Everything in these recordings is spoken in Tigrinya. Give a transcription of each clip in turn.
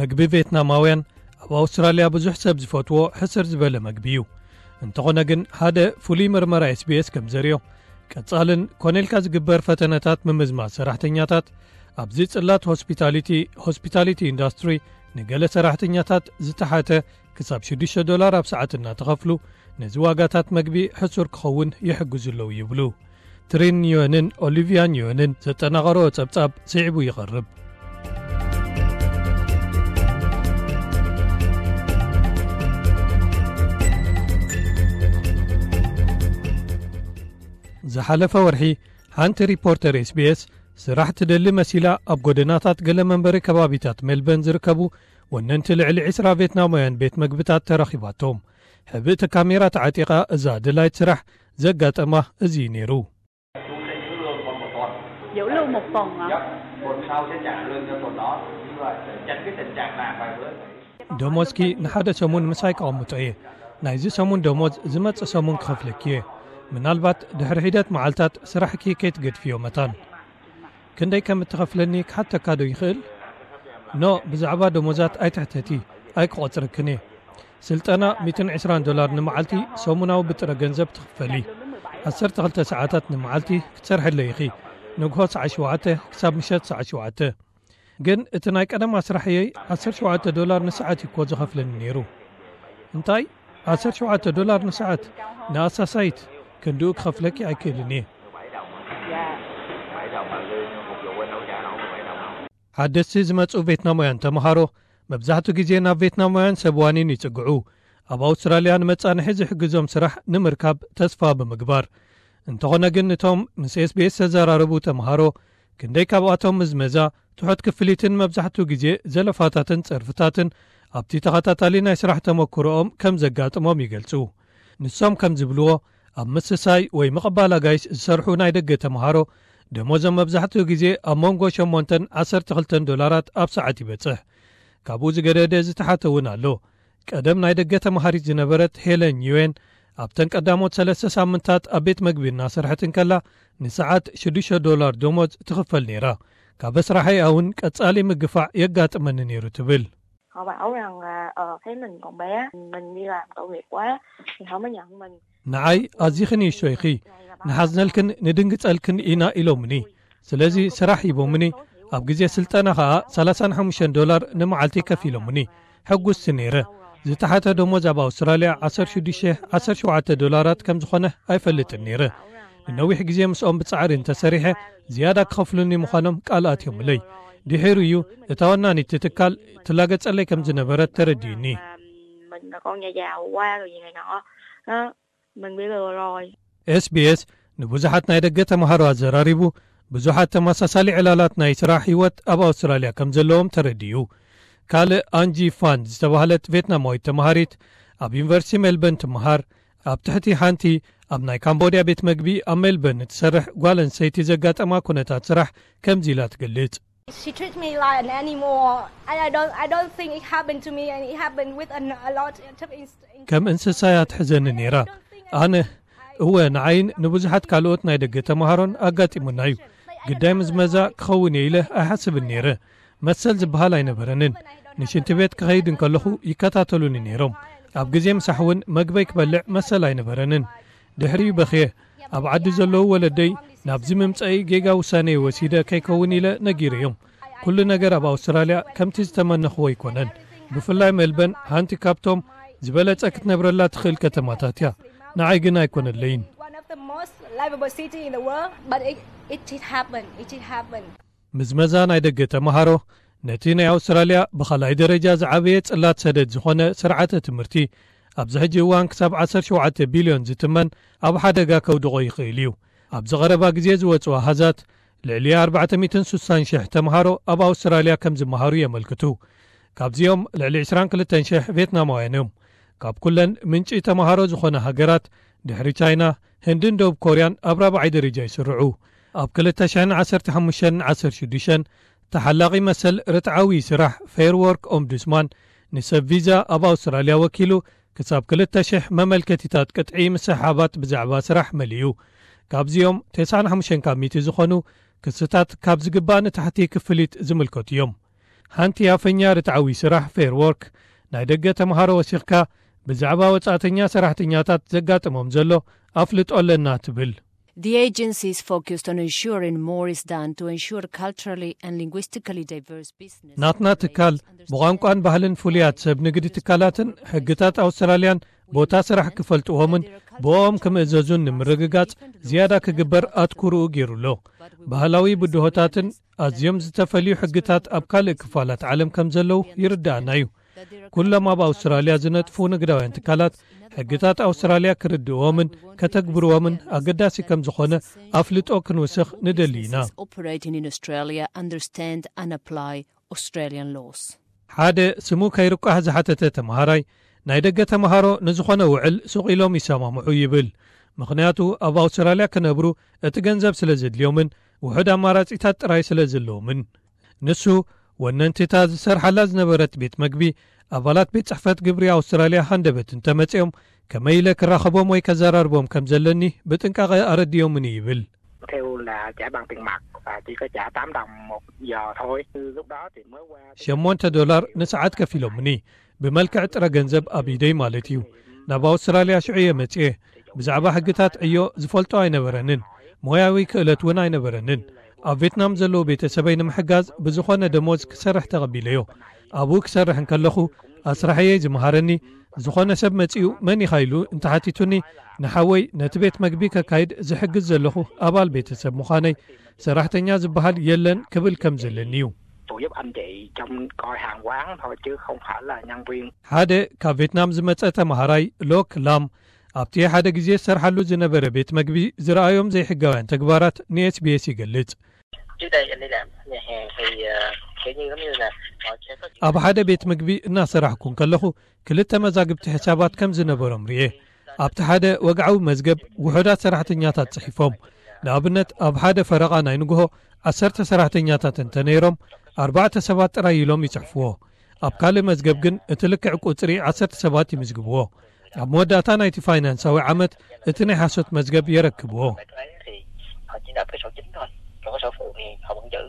መግቢ ቬትናማውያን ኣብ ኣውስትራልያ ብዙሕ ሰብ ዝፈትዎ ሕስር ዝበለ መግቢ እዩ። እንተኾነ ግን፣ ሓደ ፍሉይ መርመራ ኤስቢኤስ ከም ዘርእዮ፣ ቀጻልን ኮነ ኢልካ ዝግበር ፈተነታት ምምዝማዝ ሰራሕተኛታት ኣብዚ ጽላት ሆስፒታሊቲ፣ ሆስፒታሊቲ ኢንዳስትሪ፣ ንገለ ሰራሕተኛታት ዝተሓተ ክሳብ ሽዱሽተ ዶላር ኣብ ሰዓት እናተኸፍሉ፣ ነዚ ዋጋታት መግቢ ሕሱር ክኸውን ይሕግዙ ኣለዉ ይብሉ። ትሪን ዮንን ኦሊቪያን ዮንን ዘጠናቐረኦ ጸብጻብ ስዒቡ ይቐርብ። ዝሓለፈ ወርሒ፣ ሓንቲ ሪፖርተር ኤስቢኤስ ስራሕ ትደሊ መሲላ ኣብ ጎደናታት ገለ መንበሪ ከባቢታት ሜልበርን ዝርከቡ ወነንቲ ልዕሊ ዕስራ ቬትናማውያን ቤት መግብታት ተረኺባቶም። ሕብእቲ ካሜራ ተዓጢቓ እዛ ደላይት ስራሕ ዘጋጠማ እዚ እዩ ነይሩ። Dữ luôn một phần hả? ደሞዝኪ ንሓደ ሰሙን ምሳይ ከቐምጦ እየ። ናይዚ ሰሙን ደሞዝ ዝመጽእ ሰሙን ክኸፍለኪ እየ። ምናልባት ድሕሪ ሒደት መዓልታት ስራሕኪ ከይትገድፍዮ መታን። ክንደይ ከም እትኸፍለኒ ክሓተካ ዶ ይኽእል? ኖ፣ ብዛዕባ ደሞዛት ኣይትሕተቲ፣ ኣይክቖጽረክን እየ። ስልጠና ሚእትን ዕስራን ዶላር ንመዓልቲ ሰሙናዊ ብጥረ ገንዘብ ትኽፈሊ። ዓሰርተ ክልተ ሰዓታት ንመዓልቲ ክትሰርሕለይ ኢኺ፣ ንግሆ ሰዓት ሸውዓተ ክሳብ ምሸት ሰዓት ሸውዓተ። ግን እቲ ናይ ቀደማ ስራሕየይ ዓሰርተ ሸውዓተ ዶላር ንሰዓት እዩ እኮ ዝኸፍለኒ ነይሩ። እንታይ? ዓሰርተ ሸውዓተ ዶላር ንሰዓት? ንኣሳሳይት ክንድኡ ክኸፍለኪ ኣይክእልን እየ። ሓደስቲ ዝመጹ ቬትናማውያን ተምሃሮ መብዛሕትኡ ግዜ ናብ ቬትናማውያን ሰብ ዋኒን ይጽግዑ፣ ኣብ ኣውስትራልያ ንመጻንሒ ዝሕግዞም ስራሕ ንምርካብ ተስፋ ብምግባር። እንተኾነ ግን፣ እቶም ምስ ኤስቢኤስ ዝተዘራረቡ ተምሃሮ፣ ክንደይ ካብኣቶም ምዝመዛ፣ ትሑት ክፍሊትን መብዛሕትኡ ግዜ ዘለፋታትን ጸርፍታትን ኣብቲ ተኸታታሊ ናይ ስራሕ ተመክሮኦም ከም ዘጋጥሞም ይገልጹ። ንሶም ከም ዝብልዎ፣ ኣብ ምስሳይ ወይ ምቕባል ኣጋይሽ ዝሰርሑ ናይ ደገ ተምሃሮ፣ ደሞዞም መብዛሕትኡ ግዜ ኣብ መንጎ ሸሞንተን ዓሰርተ ክልተን ዶላራት ኣብ ሰዓት ይበጽሕ። ካብኡ ዝገደደ ዝተሓተ እውን ኣሎ። ቀደም ናይ ደገ ተምሃሪት ዝነበረት ሄለን ዩኤን፣ ኣብተን ቀዳሞት ሰለስተ ሳምንታት ኣብ ቤት መግቢ እናሰርሐት እንከላ፣ ንሰዓት ሽዱሽተ ዶላር ደሞዝ ትኽፈል ነይራ። ካብ ስራሐይ እውን ቀጻሊ ምግፋዕ የጋጥመኒ ነይሩ ትብል። Họ bảo rằng là ờ, thấy mình còn bé, mình đi làm tội nghiệp quá thì không có nhận mình. ንዓይ ኣዚኺ ንእሽቶ ኢኺ፣ ንሓዝነልክን ንድንግጸልክን ኢና ኢሎምኒ። ስለዚ ስራሕ ሂቦምኒ፣ ኣብ ግዜ ስልጠና ኸኣ ሰላሳን ሓሙሽተን ዶላር ንመዓልቲ ከፊሎምኒ። ሕጉስቲ ነይረ። ዝተሓተ ደሞዝ ኣብ ኣውስትራልያ ዓሰርተ ሽዱሽተ ዓሰርተ ሸውዓተ ዶላራት ከም ዝኾነ ኣይፈልጥን ነይረ። ንነዊሕ ግዜ ምስኦም ብጻዕሪ እንተሰሪሐ ዝያዳ ክኸፍሉኒ ምዃኖም ቃል ኣትዮምለይ። ድሒሩ እዩ እታ ወናኒት ትካል ትላገጸለይ ከም ዝነበረት ተረዲኡኒ። Mình là con nhà giàu quá rồi gì này nọ á, mình bị lừa rồi. ኤስቢኤስ ንብዙሓት ናይ ደገ ተምሃሮ ኣዘራሪቡ፣ ብዙሓት ተመሳሳሊ ዕላላት ናይ ስራሕ ህይወት ኣብ ኣውስትራልያ ከም ዘለዎም ተረዲኡ። ካልእ ኣንጂ ፋን ዝተባህለት ቬትናማዊት ተምሃሪት ኣብ ዩኒቨርሲቲ ሜልበርን ትምሃር፣ ኣብ ትሕቲ ሓንቲ ኣብ ናይ ካምቦድያ ቤት መግቢ ኣብ ሜልበርን እትሰርሕ ጓል ኣንስተይቲ ዘጋጠማ ኩነታት ስራሕ ከምዚ ኢላ ትገልጽ። She treats me like an animal. I, I don't I don't think it happened to me, and it happened with a, a lot of ins- ከም እንስሳ እያ ትሕዘኒ ነይራ። ኣነ፣ እወ፣ ንዓይን ንብዙሓት ካልኦት ናይ ደገ ተምሃሮን ኣጋጢሙና እዩ። ግዳይ ምዝመዛ ክኸውን እየ ኢለ ኣይሓስብን ነይረ። መሰል ዝበሃል ኣይነበረንን። ንሽንቲ ቤት ክኸይድ እንከለኹ ይከታተሉኒ ነይሮም። ኣብ ግዜ ምሳሕ እውን መግበይ ክበልዕ መሰል ኣይነበረንን። ድሕሪኡ በኽየ። ኣብ ዓዲ ዘለዉ ወለደይ ናብዚ ምምጸኢ ጌጋ ውሳኔ ወሲደ ከይከውን ኢለ ነጊረዮም። ኩሉ ነገር ኣብ ኣውስትራልያ ከምቲ ዝተመነኽዎ ኣይኮነን። ብፍላይ ሜልበን ሓንቲ ካብቶም ዝበለጸ ክትነብረላ ትኽእል ከተማታት እያ። ንዓይ ግን ኣይኮነለይን። One of the most livable city in the world, but it, it did happen. It did happen. ምዝመዛ ናይ ደገ ተምሃሮ ነቲ ናይ ኣውስትራልያ ብኻልኣይ ደረጃ ዝዓበየ ጽላት ሰደድ ዝኾነ ስርዓተ ትምህርቲ፣ ኣብዚ ሕጂ እዋን ክሳብ ዓሰርተ ሸውዓተ ቢልዮን ዝትመን ኣብ ሓደጋ ከውድቖ ይኽእል እዩ። ኣብዚ ቐረባ ግዜ ዝወጹ ኣሃዛት፣ ልዕሊ ኣርባዕተ ሚእትን ስሳን ሽሕ ተምሃሮ ኣብ ኣውስትራልያ ከም ዝመሃሩ የመልክቱ። ካብዚኦም ልዕሊ ዕስራን ክልተን ሽሕ ቬትናማውያን እዮም። ካብ ኩለን ምንጪ ተምሃሮ ዝኾነ ሃገራት፣ ድሕሪ ቻይና፣ ህንድን ደቡብ ኮርያን ኣብ ራብዓይ ደረጃ ይስርዑ። ኣብ ክልተ ሽሕን ዓሰርተ ሓሙሽተን ዓሰርተ ሽዱሽተን፣ ተሓላቒ መሰል ርትዓዊ ስራሕ ፌር ዎርክ ኦምቡድስማን ንሰብ ቪዛ ኣብ ኣውስትራልያ ወኪሉ፣ ክሳብ ክልተ ሽሕ መመልከቲታት ቅጥዒ ምስሕሓባት ብዛዕባ ስራሕ መሊኡ። ካብዚኦም፣ ተስዓን ሓሙሽተን ካብ ሚእቲ ዝኾኑ ክስታት ካብ ዝግባእ ንታሕቲ ክፍሊት ዝምልከቱ እዮም። ሓንቲ ኣፈኛ ርትዓዊ ስራሕ ፌር ወርክ፣ ናይ ደገ ተምሃሮ ወሲኽካ ብዛዕባ ወጻእተኛ ሰራሕተኛታት ዘጋጥሞም ዘሎ ኣፍልጦ ኣለና ትብል። The agency is focused on ensuring more is done to ensure culturally and linguistically diverse business. ናትና ትካል ብቋንቋን ባህልን ፍሉያት ሰብ ንግዲ ትካላትን ሕግታት ኣውስትራልያን ቦታ ስራሕ ክፈልጥዎምን ብኦም ክምእዘዙን ንምርግጋጽ ዝያዳ ክግበር ኣትኩርኡ ገይሩ ኣሎ። ባህላዊ ብድሆታትን ኣዝዮም ዝተፈልዩ ሕግታት ኣብ ካልእ ክፋላት ዓለም ከም ዘለዉ ይርዳኣና እዩ። ኩሎም ኣብ ኣውስትራልያ ዝነጥፉ ንግዳውያን ትካላት ሕግታት ኣውስትራልያ ክርድእዎምን ከተግብርዎምን ኣገዳሲ ከም ዝኾነ ኣፍልጦ ክንውስኽ ንደሊ ኢና። Operating in Australia understand and apply Australian laws. ሓደ ስሙ ከይርቋሕ ዝሓተተ ተምሃራይ፣ ናይ ደገ ተምሃሮ ንዝኾነ ውዕል ሱቕ ኢሎም ይሰማምዑ ይብል። ምኽንያቱ ኣብ ኣውስትራልያ ክነብሩ እቲ ገንዘብ ስለ ዘድልዮምን ውሑድ ኣማራጺታት ጥራይ ስለ ዘለዎምን። ንሱ ወነንቲታ ዝሰርሓላ ዝነበረት ቤት መግቢ ኣባላት ቤት ጽሕፈት ግብሪ ኣውስትራልያ ሃንደበት እንተመጺኦም ከመይ ኢለ ክራኸቦም ወይ ከዘራርቦም ከም ዘለኒ ብጥንቃቐ ኣረድዮምኒ ይብል። Theo là trả bằng tiền mặt và chỉ có trả tám đồng một giờ thôi. Lúc đó thì mới qua ሸሞንተ ዶላር ንሰዓት ከፊሎምኒ፣ ብመልክዕ ጥረ ገንዘብ ኣብ ኢደይ ማለት እዩ። ናብ ኣውስትራልያ ሽዑ እየ መጽኤ። ብዛዕባ ሕግታት ዕዮ ዝፈልጦ ኣይነበረንን፣ ሞያዊ ክእለት እውን ኣይነበረንን። ኣብ ቬትናም ዘለዉ ቤተሰበይ ንምሕጋዝ ብዝኾነ ደሞዝ ክሰርሕ ተቐቢለዮ። ኣብኡ ክሰርሕ እንከለኹ ኣስራሕየይ ዝመሃረኒ፣ ዝኾነ ሰብ መጺኡ መን ኢኻ ኢሉ እንተሓቲቱኒ፣ ንሓወይ ነቲ ቤት መግቢ ከካይድ ዝሕግዝ ዘለኹ ኣባል ቤተሰብ ምዃነይ፣ ሰራሕተኛ ዝበሃል የለን ክብል ከም ዘለኒ እዩ። Tôi giúp anh chị trong coi hàng quán thôi chứ không phải là nhân viên. ሓደ ካብ ቬትናም ዝመጸ ተምሃራይ ሎክ ላም ኣብቲ ሓደ ግዜ ዝሰርሓሉ ዝነበረ ቤት መግቢ ዝረኣዮም ዘይሕጋውያን ተግባራት ንኤስቢኤስ ይገልጽ። Trước đây anh đi làm nhà hàng thì ờ, kiểu như giống như là họ sẽ có ኣብ ሓደ ቤት ምግቢ እናሰራሕኩ እንከለኹ ክልተ መዛግብቲ ሕሳባት ከም ዝነበሮም ርኤ። ኣብቲ ሓደ ወግዓዊ መዝገብ ውሑዳት ሰራሕተኛታት ጽሒፎም፣ ንኣብነት ኣብ ሓደ ፈረቓ ናይ ንግሆ ዓሰርተ ሰራሕተኛታት እንተነይሮም ኣርባዕተ ሰባት ጥራይ ኢሎም ይጽሕፍዎ። ኣብ ካልእ መዝገብ ግን እቲ ልክዕ ቁጽሪ ዓሰርተ ሰባት ይምዝግብዎ። ኣብ መወዳእታ ናይቲ ፋይናንሳዊ ዓመት እቲ ናይ ሓሶት መዝገብ የረክብዎ። thì họ chỉ nộp cái sổ chính thôi, còn cái sổ phụ thì họ vẫn giữ.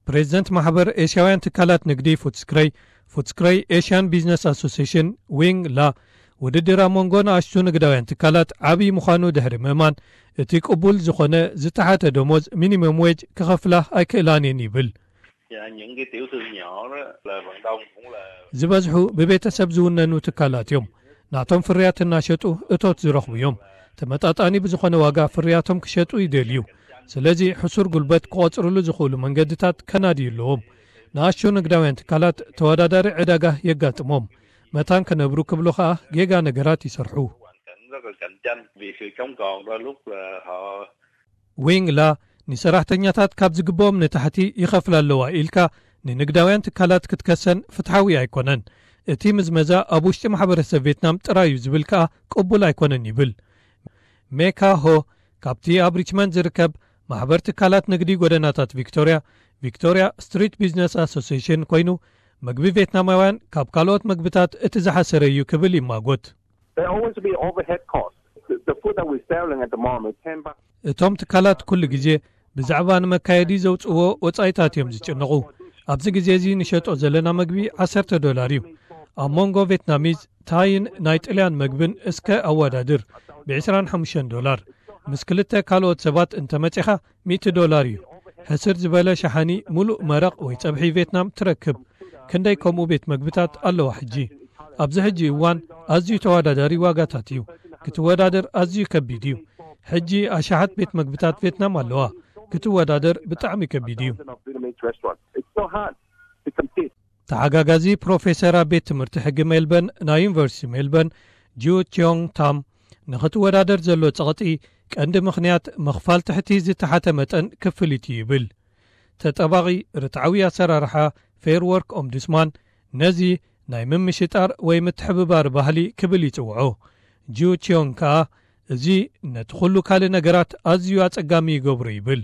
ፕሬዚደንት ማሕበር ኤስያውያን ትካላት ንግዲ ፉትስክረይ፣ ፉትስክረይ ኤሽያን ቢዝነስ ኣሶሲሽን፣ ዊንግ ላ፣ ውድድር ኣብ መንጎ ንኣሽቱ ንግዳውያን ትካላት ዓብዪ ምዃኑ ድሕሪ ምእማን፣ እቲ ቅቡል ዝኾነ ዝተሓተ ደሞዝ ሚኒመም ዌጅ ክኸፍላ ኣይክእላን እየን ይብል። Những cái tiểu thương nhỏ đó là phần đông cũng là ዝበዝሑ ብቤተሰብ ዝውነኑ ትካላት እዮም። ናቶም ፍርያት እናሸጡ እቶት ዝረኽቡ እዮም። ተመጣጣኒ ብዝኾነ ዋጋ ፍርያቶም ክሸጡ ይደልዩ። ስለዚ ሕሱር ጉልበት ክቖጽርሉ ዝኽእሉ መንገድታት ከናድዩ ኣለዎም። ንኣሽቱ ንግዳውያን ትካላት ተወዳዳሪ ዕዳጋ የጋጥሞም። መታን ክነብሩ ክብሉ ኸኣ ጌጋ ነገራት ይሰርሑ። rất là cạnh tranh vì sự sống còn đôi lúc là họ ዊንግ ላ ንሰራሕተኛታት ካብ ዝግብኦም ንታሕቲ ይኸፍላ ኣለዋ ኢልካ ንንግዳውያን ትካላት ክትከሰን ፍትሓዊ ኣይኮነን። እቲ ምዝመዛ ኣብ ውሽጢ ማሕበረሰብ ቬትናም ጥራይ እዩ ዝብል ከኣ ቅቡል ኣይኮነን ይብል። ሜካ ሆ ካብቲ ኣብ ሪችመንድ ዝርከብ ማሕበር ትካላት ንግዲ ጎደናታት ቪክቶርያ፣ ቪክቶርያ ስትሪት ቢዝነስ ኣሶሲሽን ኮይኑ፣ ምግቢ ቬትናማውያን ካብ ካልኦት ምግብታት እቲ ዝሓሰረ እዩ ክብል ይማጎት። There always be overhead costs. The, the food that we're selling at the moment, ten bucks. እቶም ትካላት ኩሉ ግዜ ብዛዕባ ንመካየዲ ዘውፅእዎ ወፃኢታት እዮም ዝጭነቑ። ኣብዚ ግዜ እዚ ንሸጦ ዘለና መግቢ ዓሰርተ ዶላር እዩ። ኣብ መንጎ ቬትናሚዝ፣ ታይን ናይ ጥልያን መግብን እስከ ኣወዳድር፣ ብ ዕስራን ሓሙሽተን ዶላር። ምስ ክልተ ካልኦት ሰባት እንተመፂኻ ሚእቲ ዶላር እዩ። ሕስር ዝበለ ሸሓኒ ሙሉእ መረቕ ወይ ፀብሒ ቬትናም ትረክብ። ክንደይ ከምኡ ቤት መግብታት ኣለዋ ሕጂ። ኣብዚ ሕጂ እዋን ኣዝዩ ተወዳዳሪ ዋጋታት እዩ። ክትወዳደር ኣዝዩ ከቢድ እዩ። ሕጂ ኣሽሓት ቤት መግብታት ቬትናም ኣለዋ። ክትወዳደር ብጣዕሚ ከቢድ እዩ። Of Vietnamese restaurant. It's so hard to compete. ተሓጋጋዚ ፕሮፌሰር ኣብ ቤት ትምህርቲ ሕጊ ሜልበርን ናይ ዩኒቨርሲቲ ሜልበርን፣ ጂው ቺዮንግ ታም፣ ንኽትወዳደር ዘሎ ጸቕጢ ቀንዲ ምኽንያት ምኽፋል ትሕቲ ዝተሓተ መጠን ክፍሊት እዩ ይብል። ተጠባቒ ርትዓዊ ኣሰራርሓ ፌር ወርክ ኦምቡድስማን ነዚ ናይ ምምሽጣር ወይ ምትሕብባር ባህሊ ክብል ይጽውዖ። ጂው ቺዮንግ ከኣ እዚ ነቲ ኩሉ ካልእ ነገራት ኣዝዩ ኣጸጋሚ ይገብሮ ይብል።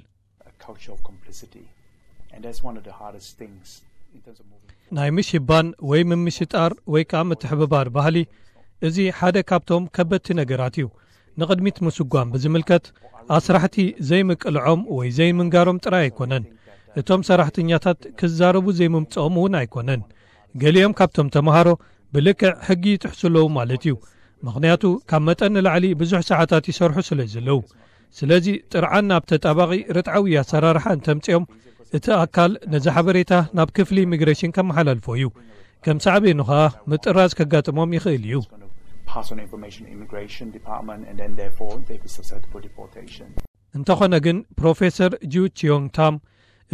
A cultural complicity. And that's one of the hardest things in terms of moving. ናይ ምሽባን ወይ ምምሽጣር ወይ ከኣ ምትሕብባር ባህሊ፣ እዚ ሓደ ካብቶም ከበድቲ ነገራት እዩ። ንቕድሚት ምስጓም ብዝምልከት ኣስራሕቲ ዘይምቅልዖም ወይ ዘይምንጋሮም ጥራይ ኣይኮነን። እቶም ሰራሕተኛታት ክዛረቡ ዘይምምፅኦም እውን ኣይኮነን። ገሊኦም ካብቶም ተምሃሮ ብልክዕ ሕጊ ይጥሕሱ ኣለዉ ማለት እዩ። ምኽንያቱ ካብ መጠን ንላዕሊ ብዙሕ ሰዓታት ይሰርሑ ስለ ዘለዉ። ስለዚ ጥርዓን ናብ ተጣባቒ ርትዓዊ ኣሰራርሓ እንተምፅኦም እቲ ኣካል ነዚ ሓበሬታ ናብ ክፍሊ ኢሚግሬሽን ከመሓላልፎ እዩ። ከም ሳዕቤኑ ኸኣ ምጥራዝ ከጋጥሞም ይኽእል እዩ። Pass on information to immigration department and then therefore they could susceptible for deportation. እንተኾነ ግን ፕሮፌሰር ጂው ቺዮንግ ታም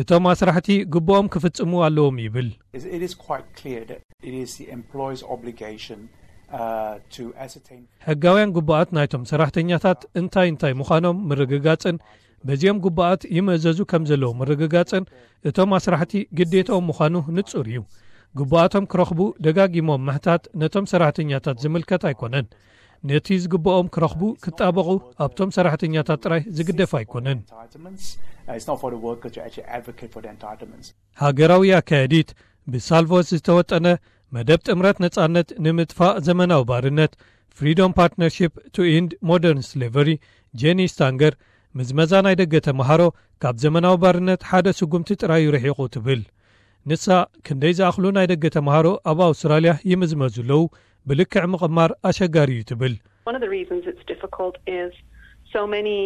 እቶም ኣስራሕቲ ግቡኦም ክፍጽሙ ኣለዎም ይብል። It is quite clear that it is the employer's obligation uh, to ascertain. ሕጋውያን ግቡኣት ናይቶም ሰራሕተኛታት እንታይ እንታይ ምዃኖም ምርግጋጽን በዚኦም ግቡኣት ይምእዘዙ ከም ዘለዉ ምርግጋጽን እቶም ኣስራሕቲ ግዴታኦም ምዃኑ ንጹር እዩ። ግቡኣቶም ክረኽቡ ደጋጊሞም ምሕታት ነቶም ሰራሕተኛታት ዝምልከት ኣይኮነን። ነቲ ዝግብኦም ክረኽቡ ክጣበቑ ኣብቶም ሰራሕተኛታት ጥራይ ዝግደፍ ኣይኮነን። It's not for the worker to actually advocate for the entitlements. ሃገራዊ ኣካየዲት ብሳልቮስ ዝተወጠነ መደብ ጥምረት ነጻነት ንምጥፋእ ዘመናዊ ባርነት፣ Freedom Partnership to End Modern Slavery፣ ጄኒ ስታንገር፣ ምዝመዛ ናይ ደገ ተምሃሮ ካብ ዘመናዊ ባርነት ሓደ ስጉምቲ ጥራይ ርሒቑ ትብል። ንሳ ክንደይ ዝኣኽሉ ናይ ደገ ተምሃሮ ኣብ ኣውስትራልያ ይምዝመዙ ኣለዉ፣ ብልክዕ ምቕማር ኣሸጋሪ እዩ ትብል። One of the reasons it's difficult is so many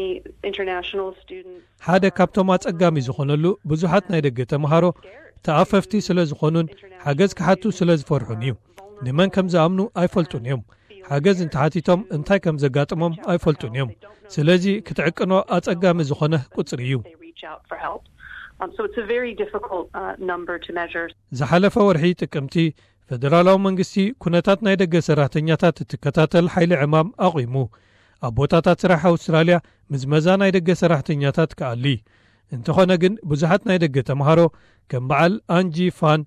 international students. ሓደ ካብቶም ኣጸጋሚ ዝኾነሉ ብዙሓት ናይ ደገ ተምሃሮ ተኣፈፍቲ ስለ ዝኾኑን ሓገዝ ክሓቱ ስለ ዝፈርሑን እዩ። ንመን ከም ዝኣምኑ ኣይፈልጡን እዮም። ሓገዝ እንተሓቲቶም እንታይ ከም ዘጋጥሞም ኣይፈልጡን እዮም። ስለዚ ክትዕቅኖ ኣጸጋሚ ዝኾነ ቁጽሪ እዩ። They reach out for help. Um, so it's a very difficult uh, number to measure. ዝሓለፈ ወርሒ ጥቅምቲ ፈደራላዊ መንግስቲ ኩነታት ናይ ደገ ሰራሕተኛታት እትከታተል ሓይሊ ዕማም ኣቑሙ። ኣብ ቦታታት ስራሕ ኣውስትራልያ ምዝመዛ ናይ ደገ ሰራሕተኛታት ክኣሊ። እንተኾነ ግን ብዙሓት ናይ ደገ ተምሃሮ ከም በዓል ኣንጂ ፋን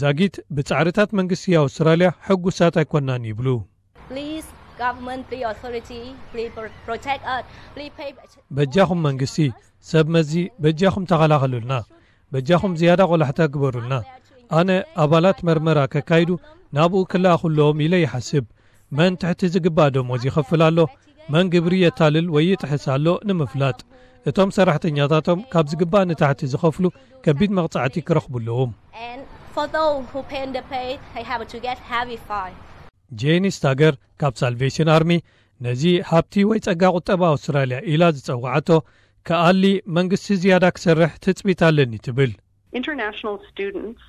ዛጊት ብጻዕርታት መንግስቲ ኣውስትራልያ ሕጉሳት ኣይኮናን ይብሉ። Please, government, please, authority, please pro- protect us, please pay. በጃኹም መንግስቲ፣ ሰብ መዚ በጃኹም ተኸላኸሉልና። በጃኹም ዝያዳ ቆላሕታ ግበሩልና። ኣነ ኣባላት መርመራ ከካይዱ ናብኡ ክለኣኹ ኣለዎም ኢለ ይሓስብ። መን ትሕቲ ዝግባእ ደሞዝ ይኸፍል ኣሎ፣ መን ግብሪ የታልል ወይ ይጥሕስ ኣሎ ንምፍላጥ። እቶም ሰራሕተኛታቶም ካብ ዝግባእ ንታሕቲ ዝኸፍሉ ከቢድ መቕጻዕቲ ክረኽቡ ኣለዎም። And for those who pay the pay, they have to get heavy fine. ጄኒ ስታገር ካብ ሳልቬሽን ኣርሚ ነዚ ሃብቲ ወይ ጸጋ ቁጠባ ኣውስትራልያ ኢላ ዝጸውዓቶ ክኣሊ መንግስቲ ዝያዳ ክሰርሕ ትጽቢት ኣለኒ ትብል። International students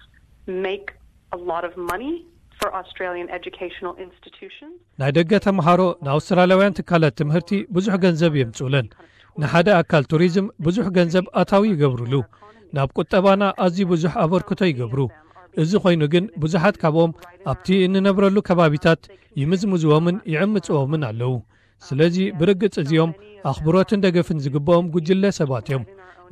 make a lot of money for Australian educational institutions. ናይ ደገ ተምሃሮ ንኣውስትራልያውያን ትካላት ትምህርቲ ብዙሕ ገንዘብ የምጽኡለን። ንሓደ ኣካል ቱሪዝም ብዙሕ ገንዘብ ኣታዊ ይገብሩሉ። ናብ ቁጠባና ኣዝዩ ብዙሕ ኣበርክቶ ይገብሩ። እዚ ኮይኑ ግን ብዙሓት ካብኦም ኣብቲ እንነብረሉ ከባቢታት ይምዝምዝዎምን ይዕምጽዎምን ኣለዉ። ስለዚ ብርግጽ እዚኦም ኣኽብሮትን ደገፍን ዝግብኦም ጉጅለ ሰባት እዮም።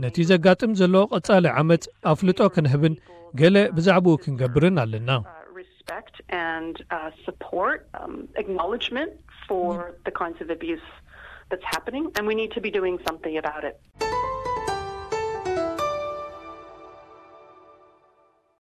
ነቲ ዘጋጥም ዘሎ ቀጻሊ ዓመጽ ኣፍልጦ ክንህብን ገለ ብዛዕባኡ ክንገብርን ኣለና። Uh, respect and uh, support, um, acknowledgement for the kinds of abuse that's happening, and we need to be doing something about it.